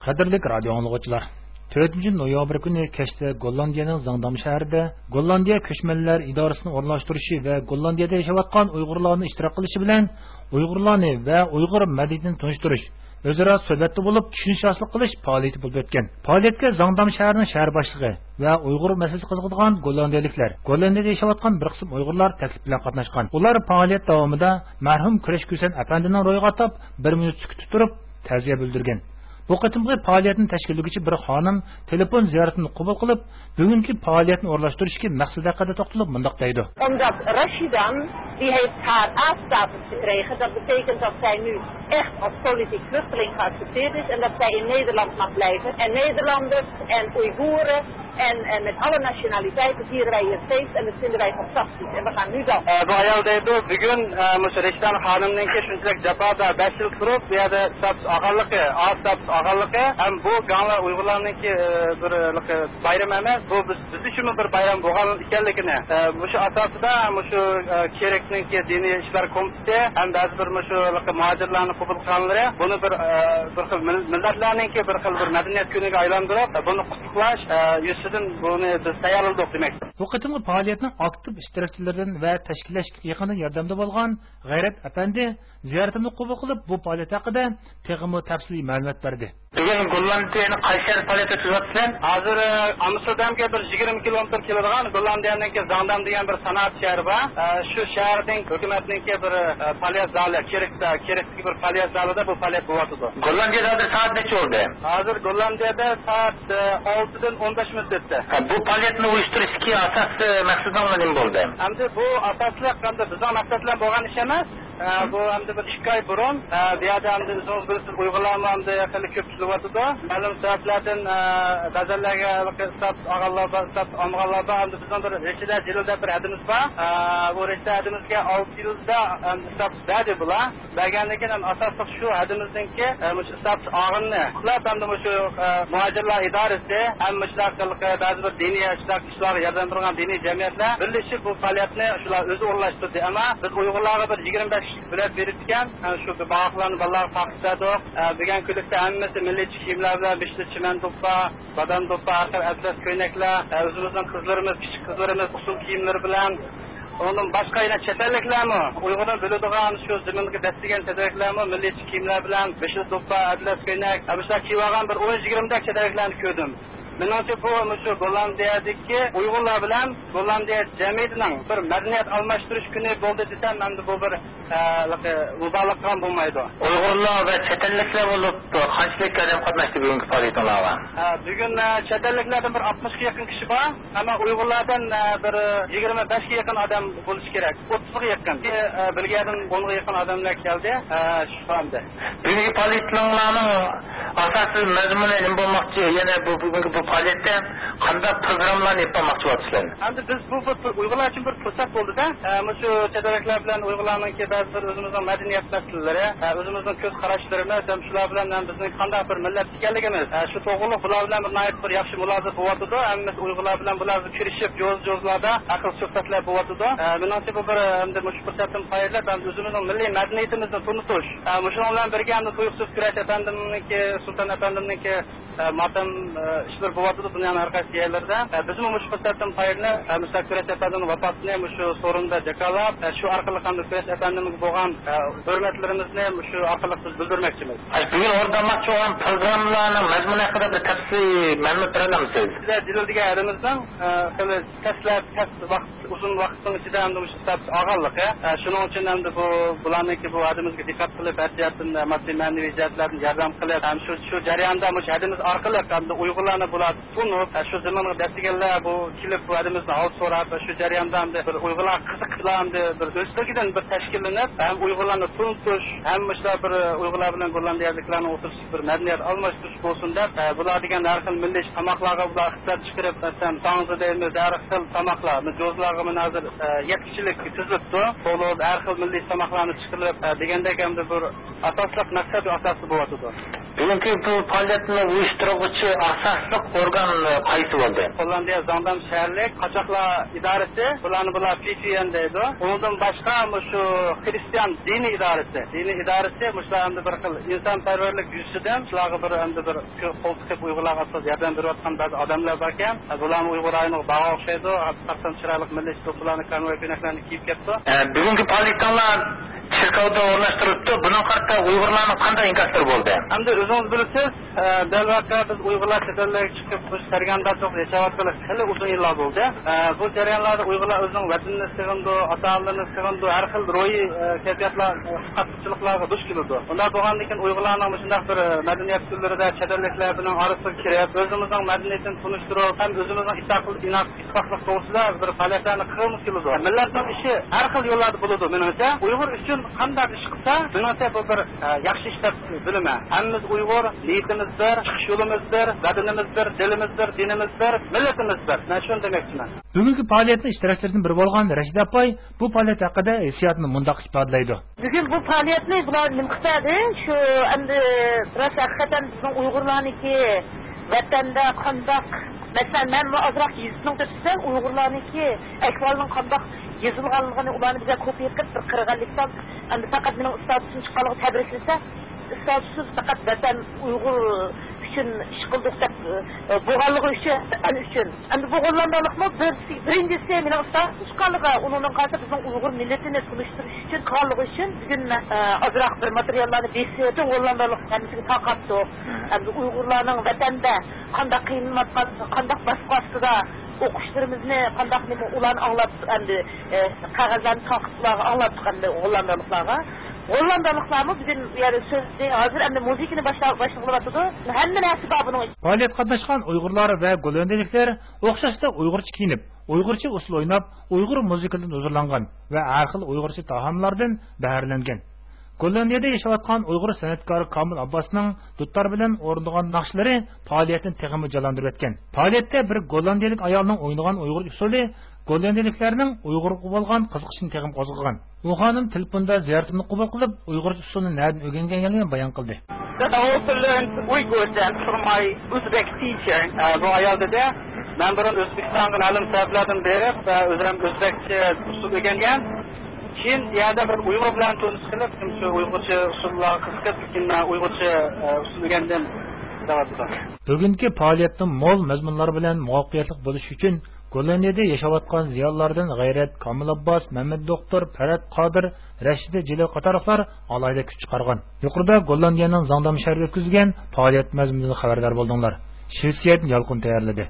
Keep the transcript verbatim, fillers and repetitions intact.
قەدىرلىك رادىيو ئاڭلىغۇچىلار، تۆتىنچى نويابىر كۈنى كەچتە گوللاندىيەنىڭ زاڭدام شەھىرىدە گوللاندىيە كۆچمەنلەر ئىدارىسىنىڭ ئورۇنلاشتۇرۇشى ۋە گوللاندىيەدە ياشاۋاتقان ئۇيغۇرلارنىڭ ئىشتىراك قىلىشى بىلەن ئۇيغۇرلارنى ۋە ئۇيغۇر مەدەنىيىتىنى تونۇشتۇرۇش، ئۆزئارا سۆھبەتتە بولۇپ چۈشىنىش ھاسىل قىلىش پائالىيىتى بولۇپ ئۆتكەن. پائالىيەتكە زاڭدام شەھىرىنىڭ شەھەر باشلىقى ۋە ئۇيغۇر مەسىلىسىگە قىزىقىدىغان گوللاندىيەلىكلەر، گوللاندىيەدە ياشاۋاتقان بىر قىسىم ئۇيغۇرلار تەكلىپ بىلەن قاتناشقان. ئۇلار پائالىيەت داۋامىدا مەرھۇم كۈرەش كۈسەن ئەپەندىنىڭ روھىغا ئاتاپ بىر مىنۇت سۈكۈتتە تۇرۇپ تەزىيە بىلدۈرگەن. بۇ قېتىمقى پائالىيەتنى تەشكىللىگۈچى بىر خانىم تېلېفون زىيارىتىنى قوبۇل قىلىپ، بۈگۈنكى پائالىيەتنى ئورۇنلاشتۇرۇشتىكى مەقسەت ھەققىدە توختىلىپ مۇنداق دەيدۇ. Omdat Rashidan, die heeft haar A-status gekregen. Dat betekent dat zij nu echt als politiek vluchteling geaccepteerd is en dat zij in Nederland mag blijven. En Nederlanders en Oeigoeren en, en met alle nationaliteiten vieren wij hier feest en dat vinden wij fantastisch. En we gaan nu dansen. ئە، بۇ ئايال دەيدۇ، بۈگۈن، ئە، مۇشۇ رەشىدان خانىمنىڭكى شۇنچىلىك جاپادا بەش يىل تۇرۇپ، بۇ يەردە ستاتۇس ئالغانلىقى، ئا ستاتۇس ئالغانلىقى ھەم بۇ گاڭلا ئۇيغۇرلارنىڭكى، ئە، بىر، ئە، بايرىمى ئەمەس، بۇ بىز، بىز ئۈچۈنمۇ بىر بايرام بولغان ئىكەنلىكىنى، ئە، مۇشۇ ئاساسىدا مۇشۇ، ئە، كېركنىڭكى دىنىي ئىشلار كومىتېتى ھەم بەزى بىر مۇشۇ مۇھاجىرلارنى قوبۇل قىلغانلىرى بۇنى بىر، ئە، بىر خىل مىل-، مىللەتلەرنىڭكى بىر خىل بىر مەدەنىيەت كۈنىگە ئايلاندۇرۇپ، بۇنى قۇتلۇقلاش، ئە، يۈزىسىدىن بۇنى بىز تەييارلىدۇق دېمەكتە. بۇ قېتىمقى پائالىيەتنىڭ ئاكتىپ ئىشتىراكچىلىرىدىن ۋە تەشكىللەشكە يېقىندىن ياردەمدە بولغان غەيرەت ئەپەندى زىيارىتىمنى قوبۇل قىلىپ، بۇ پائالىيەت ھەققىدە تېخىمۇ تەپسىلىي مەلۇمات بەردى. بۈگۈن گوللاندىيەنىڭ قايسى شەھىرىدە پائالىيەت ئۆتكۈزۈۋاتىسىلەر؟ ھازىر، ئە، ئامستېردامغا بىر يىگىرمە كىلومېتىر كېلىدىغان گوللاندىيەنىڭكى زاڭدام دېگەن بىر سانائەت شەھىرى بار. ئە، شۇ شەھەرنىڭ ھۆكۈمەتنىڭكى بىر، ئە، پائالىيەت زالى، كېرك، كېركتىكى بىر پائالىيەت زالىدا بۇ پائالىيەت بولۇۋاتىدۇ. گوللاندىيەدە ھازىر سائەت نەچچە بولدى؟ ھازىر گوللاندىيەدە سائەت، ئە، ئالتىدىن ئون بەش مىنۇت ئۆتتى. ھە، بۇ پائالىيەتنى ئۇيۇشتۇرۇشتىكى ئاساسىي مەقسىتىڭلار نېمە بولدى؟ ئەمدى بۇ ئاساسلىق ئەمدى بىزنىڭ مەقسەت بىلەن بولغان ئىش ئەمەس. ئە، بۇ ئەمدى بىر ئىككى ئاي بۇرۇن، ئە، بۇ يەردە ئەمدى ئۆزىڭىز بىلىسىز، ئۇيغۇرلارمۇ ئەمدى خېلى كۆپ كېلىۋاتىدۇ. مەلۇم سەۋەبلەردىن، ئە، بەزەنلەرگە ھېلىقى ستاتۇس ئالغانلار بار، ستاتۇس ئالمىغانلار بار. ئەمدى بىزنىڭ بىر رەشىدە جېلىل دەپ بىر ھەدىمىز بار. ئە، بۇ رەشىدە ھەدىمىزگە ئالتە يىلدا ئەمدى ستاتۇس بەردى بۇلار. بەرگەندىن كېيىن ھەم ئاساسلىق شۇ ھەدىمىزنىڭكى، ئە، مۇشۇ ستاتۇس ئالغىنىنى قۇتلاپ، ھەمدە مۇشۇ، ئە، مۇھاجىرلار ئىدارىسى ھەم مۇشۇنداق بەزى بىر دىنىي شۇنداق ئىشلارغا ياردەم بېرىدىغان دىنىي جەمئىيەتلەر بىرلىشىپ بۇ پائالىيەتنى شۇلار ئۆزى ئورۇنلاشتۇردى. ئەمما بىز ئۇيغۇرلارغا بىر يىگىرمە بەش كىشىلىك بېلەت بېرىپتىكەن. ئە، شۇ بىر باغاقلارنى بالىلارغا تارقىتىپ بەردۇق. ئە، بۈگۈنكى كۈنلۈكتە ھەممىسى مىللىيچە كىيىملەر بىلەن، بېشىدا چىمەن دوپپا، بادام دوپپا، ھەر خىل ئەتلەس كۆينەكلەر، ئە، ئۆزىمىزنىڭ قىزلىرىمىز، كىچىك قىزلىرىمىز ئۇسسۇل كىيىملىرى بىلەن. ئۇنىڭدىن باشقا يەنە چەت ئەللىكلەرمۇ ئۇيغۇرنى بىلىدىغان، شۇ زېمىنغا دەسسىگەن چەت ئەللىكلەرمۇ مىللىيچە كىيىملەر بىلەن، بېشىدا دوپپا، ئەتلەس كۆينەك، ئە، مۇشۇنداق كىيىۋالغان بىر ئون يىگىرمىدەك چەت ئەللىكلەرنى كۆردۈم. مېنىڭچە بۇ مۇشۇ گوللاندىيەدىكى ئۇيغۇرلار بىلەن گوللاندىيە جەمئىيىتىنىڭ بىر مەدەنىيەت ئالماشتۇرۇش كۈنى بولدى دېسەم، ئەمدى بۇ بىر، ئە، مۇبالىغە قىلغان بولمايدۇ. ئۇيغۇرلار ۋە چەت ئەللىكلەر بولۇپ قانچىلىك ئادەم قاتناشتى بۈگۈنكى پائالىيىتىڭلارغا؟ ئە، بۈگۈن، ئە، چەت ئەللىكلەردىن بىر ئاتمىشقا يېقىن كىشى بار، ئەمما ئۇيغۇرلاردىن، ئە، بىر يىگىرمە بەشكە يېقىن ئادەم بولۇشى كېرەك. ئوتتۇزغا يېقىن. ئە، بىلگەندىن ئونغا يېقىن ئادەملەر كەلدى. ئە، شۇ ئەمدى. بۈگۈنكى پائالىيىتىڭلارنىڭ ئاساسىي مەزمۇنى نېمە بولماقچى؟ يەنە بۇ، بۈگۈنكى بۇ پائالىيەتتە قانداق پروگراممىلارنى ئېلىپ بارماقچى بولۇۋاتىسىلەر؟ ئەمدى بىز بۇ، بۇ، بۇ ئۇيغۇرلار ئۈچۈن بىر پۇرسەت بولدى-دە. ئە، مۇشۇ چەت ئەللىكلەر بىلەن ئۇيغۇرلارنىڭكى بەزى بىر ئۆزىمىزنىڭ مەدەنىيەت مەسىلىلىرى، ئە، ئۆزىمىزنىڭ كۆز قاراشلىرىمىز ھەم شۇلار بىلەن ھەم بىزنىڭ قانداق بىر مىللەت ئىكەنلىكىمىز، ئە، شۇ توغرىلىق بۇلار بىلەن بىر ناھايىتى بىر ياخشى مۇلازىمەت بولۇۋاتىدۇ. ھەممىسى ئۇيغۇرلار بىلەن بۇلار كۆرۈشۈپ، جوز-جوزلاردا ھەر خىل سۆھبەتلەر بولۇۋاتىدۇ. ئە، مېنىڭچە بۇ بىر، ئەمدى مۇشۇ پۇرسەتتىن پايدىلىنىپ، ئەمدى ئۆزىمىزنىڭ مىللىي مەدەنىيىتىمىزنى تونۇتۇش. ئە، مۇشۇنىڭ بىلەن بىرگە ئەمدى تۇيۇقسىز كۈرەش ئەپەندىمنىڭكى، سۇلتان ئەپەندىمنىڭكى، ئە، ماتەم، ئە، ئىشلىرى بولۇۋاتىدۇ دۇنيانىڭ ھەر قايسى يەرلىرىدە. ئە، بىزمۇ مۇشۇ پۇرسەتتىن پايدىلىنىپ، ئە، مۇشۇ كۈرەش ئەپەندىمنىڭ ۋاپاتىنى مۇشۇ سورۇندا جاكارلاپ، ئە، شۇ ئارقىلىق ئەمدى كۈرەش ئەپەندىمىزگە بولغان، ئە، ھۆرمەتلىرىمىزنى مۇشۇ ئارقىلىق بىز بىلدۈرمەكچىمىز. ئاشۇ بۈگۈن ئورۇندالماقچى بولغان پروگراممىلارنىڭ مەزمۇنى ھەققىدە بىر تەپسىلىي مەلۇمات بېرەلەمسىز؟ بىزلەر جېلىل دېگەن ھەدىمىزنىڭ، ئە، خېلى تەسلەپ، تەس ۋاقىت، ئۇزۇن ۋاقىتنىڭ ئىچىدە ئەمدى مۇشۇ ستاتۇس ئالغانلىقى، ئە، شۇنىڭ ئۈچۈن ئەمدى بۇ، بۇلارنىڭكى بۇ ھەدىمىزگە دىققەت قىلىپ، ھەر جەھەتتىن، ئە، ماددىي، مەنىۋى جەھەتلەردىن ياردەم قىلىپ، ھەم شۇ، شۇ جەرياندا مۇشۇ ھەدىمىز ئارقىلىق ئەمدى ئۇيغۇرلارنى بۇلار تونۇپ، ئە، شۇ زېمىنغا دەسسىگەنلەر بۇ كېلىپ بۇ ھەدىمىزنى ھال سوراپ، شۇ جەرياندا ئەمدى بىر ئۇيغۇرلارغا قىزىقىشلار ئەمدى بىر ئۆزلۈكىدىن بىر تەشكىللىنىپ، ھەم ئۇيغۇرلارنى تونۇتۇش، ھەم مۇشۇلار بىر ئۇيغۇرلار بىلەن گوللاندىيەلىكلەرنىڭ ئوتتۇرىسىدا بىر مەدەنىيەت ئالماشتۇرۇش بولسۇن دەپ، ئە، بۇلار دېگەن ھەر خىل مىللىي تاماقلارغا بۇلار ئىقتىساد چىقىرىپ، مەسىلەن، ساڭزا دەيمىز، ھەر خىل تاماقلار، جوزلارغىمۇ ھازىر، ئە، يەتتە كىشىلىك تىزىلىپتۇ. تولا ھەر خىل مىللىي تاماقلارنى چىقىرىپ، ئە، دېگەندەك ئەمدى بىر ئاساسلىق مەقسەت ۋە ئاساسى بولۇۋاتىدۇ. بۈگۈنكى بۇ پائالىيەتنى ئۇيۇشتۇرغۇچى ئاساسلىق ئورگان قايسى بولدى؟ گوللاندىيە زاڭدام شەھەرلىك قاچاقلار ئىدارىسى، بۇلارنى بۇلار پي تي ئېن دەيدۇ. ئۇنىڭدىن باشقا مۇشۇ خرىستىيان دىنىي ئىدارىسى، دىنىي ئىدارىسى مۇشۇلار ئەمدى بىر خىل ئىنسانپەرۋەرلىك يۈزىسىدىن شۇلارغا بىر ئەمدى بىر قول تىقىپ ئۇيغۇرلارغا ئاساسەن ياردەم بېرىۋاتقان بەزى ئادەملەر باركەن. بۇلارمۇ ئۇيغۇر رايونىغا بارغان ئوخشايدۇ. تاقسان چىرايلىق مىللىي دوپپىلارنى، كونۋوي كۆينەكلەرنى كىيىپ كەپتۇ. ئە، بۈگۈنكى پائالىيىتىڭلار چېركاۋدا ئورۇنلاشتۇرۇلۇپتۇ. بۇنىڭغا قارىتا ئۇيغۇرلارنىڭ قانداق ئىنكاسلىرى بولدى؟ ئەمدى ئۆزىڭىز بىلىسىز، ئە، دەل ۋەقە بىز ئۇيغۇرلار چەت ئەللەرگە چىقىپ مۇشۇ سەرگەردانچىلىقتا ياشاۋاتقىلى خېلى ئۇزۇن يىللار بولدى. ئە، بۇ جەريانلاردا ئۇيغۇرلار ئۆزىنىڭ ۋەتىنىنى سېغىنىدۇ، ئاتا-ئانىلىرىنى سېغىنىدۇ، ھەر خىل روھىي، ئە، كەيپىياتلار، ئە، قاتنىشچىلىقلارغا دۇچ كېلىدۇ. ئۇنداق بولغاندىن كېيىن ئۇيغۇرلارنىڭ مۇشۇنداق بىر، ئە، مەدەنىيەت كۈنلىرىدە چەت ئەللىكلەر بىلەن ئارىسىغا كىرىپ، ئۆزىمىزنىڭ مەدەنىيىتىنى تونۇشتۇرۇپ، ھەم ئۆزىمىزنىڭ ئىتتىپاقلىق، ئىتتىپاقلىق توغرىسىدا بىر پائالىيەتلەرنى قىلغۇمىز كېلىدۇ. مىللەتنىڭ ئىشى ھەر خىل يوللاردا بولىدۇ. مېنىڭچە، ئۇيغۇر ئۈچۈن قانداق ئىش قىلسا، مېنىڭچە بۇ بىر، ئە، ياخشى ئىش دەپ بىلىمەن. ھەممىمىز ئۇيغۇر، نىيىتىمىز بىر، چىقىش يولىمىز بىر، ۋەتىنىمىز بىر، دىلىمىز بىر، دىنىمىز بىر، مىللىتىمىز بىر. مەن شۇنى دېمەكچىمەن. بۈگۈنكى پائالىيەتنىڭ ئىشتىراكچىلىرىدىن بىرى بولغان رەشىدە ئاپاي بۇ پائالىيەت ھەققىدە ھېسسىياتىنى مۇنداق ئىپادىلەيدۇ. بۈگۈن بۇ پائالىيەتنى بۇلار نېمە قىلسا، شۇ ئەمدى راست ھەقىقەتەن بىزنىڭ ئۇيغۇرلارنىڭكى ۋەتەندە قانداق، مەسىلەن، مەنمۇ ئازراق يېزىپ مېڭىپ ئۆتسەم، ئۇيغۇرلارنىڭكى ئەھۋالىنىڭ قانداق يېزىلغانلىقىنى ئۇلارنى بىزگە كوپىيە قىلىپ بىر قىرغانلىقتان، ئەمدى پەقەت مېنىڭ ئىستاتۇسۇم چىققانلىقى تەبرىكلىسە، ئىستاتۇسسىز پەقەت ۋەتەن ئۇيغۇر ئۈچۈن ئىش قىلدۇق دەپ، ئە، بولغانلىقى ئۈچۈن، ۋەتەن ئۈچۈن. ئەمدى بۇ غوللاندالىقمۇ بىرسى، بىرىنچىسى مېنىڭ ئىستاتۇسۇم چىققانلىقى، ئۇنىڭدىن قالسا بىزنىڭ ئۇيغۇر مىللىتىنى تونۇشتۇرۇش ئۈچۈن قىلغانلىقى ئۈچۈن بۈگۈن مەن، ئە، ئازراق بىر ماتېرىياللارنى بېسىپ، پۈتۈن غوللاندالىق ھەممىسىگە تارقاتتۇق. ئەمدى ئۇيغۇرلارنىڭ ۋەتەندە قانداق قىينىلىۋاتقانلىقى، قانداق باسقۇ ئاستىدا ئوقۇشلىرىمىزنى قانداق نېمە ئۇلارنى ئاڭلاتتۇق ئەمدى، ئە، قەغەزلەرنى تارقىتىپ ئۇلارغا ئاڭلاتتۇق ئەمدى غوللاندالىقلارغا. غوللاندالىقلارمۇ بۈگۈن يەنە سۆزنى ھازىر ئەمدى مۇزىكىنى باشلا-، باشلىغىلى بولۇۋاتىدۇ. ھەممە نەرسە بار بۇنىڭ ئىچىدە. پائالىيەتكە قاتناشقان ئۇيغۇرلار ۋە گوللاندىيەلىكلەر ئوخشاشلا ئۇيغۇرچە كىيىنىپ، ئۇيغۇرچە ئۇسسۇل ئويناپ، ئۇيغۇر مۇزىكىلىرىدىن ھۇزۇرلانغان ۋە ھەر خىل ئۇيغۇرچە تائاملاردىن بەھرىلەنگەن. گوللاندىيەدە ياشاۋاتقان ئۇيغۇر سەنئەتكارى كامىل ئابباسنىڭ دۇتار بىلەن ئورۇندىغان ناخشىلىرى پائالىيەتنى تېخىمۇ جانلاندۇرۇۋەتكەن. پائالىيەتتە بىر گوللاندىيەلىك ئايالنىڭ ئوينىغان ئۇيغۇر ئۇسسۇلى گوللاندىيەلىكلەرنىڭ ئۇيغۇرغا بولغان قىزىقىشىنى تېخىمۇ قوزغىغان. ئۇ خانىم تېلېفوندا زىيارىتىمنى قوبۇل قىلىپ، ئۇيغۇرچە ئۇسسۇلنى نەدىن ئۆگەنگەنلىكىنى بايان قىلدى. That I also learned Uyghur dance from my Uzbek teacher. ئە، بۇ ئايال دېدى، مەن بۇرۇن ئۆزبېكىستانغا مەلۇم سەۋەبلەردىن بېرىپ، ئە، ئۆزۈم ئۆزبەكچە ئۇسسۇل ئۆگەنگەن. كېيىن يەردە بىر ئۇيغۇر بىلەن تونۇش قىلىپ، شۇ ئۇيغۇرچە ئۇسسۇللارغا قىزىقىپ، كېيىن مەن ئۇيغۇرچە، ئە، ئۇسسۇل ئۆگەندىم، دەۋاتىدۇ. بۈگۈنكى پائالىيەتنىڭ مول مەزمۇنلار بىلەن مۇۋەپپەقىيەتلىك بولۇشى ئۈچۈن گوللاندىيەدە ياشاۋاتقان زىيالىيلاردىن غەيرەت، كامىل ئابباس، مەمەت دوختۇر، پەرھات قادىر، رەشىدە جېلىل قاتارلىقلار ئالاھىدە كۈچ چىقارغان. يۇقىرىدا گوللاندىيەنىڭ زاڭدام شەھىرىدە ئۆتكۈزۈلگەن پائالىيەت مەزمۇنىدىن خەۋەردار بولدۇڭلار. شىۋېتسىيەدىن يالقۇن تەييارلىدى.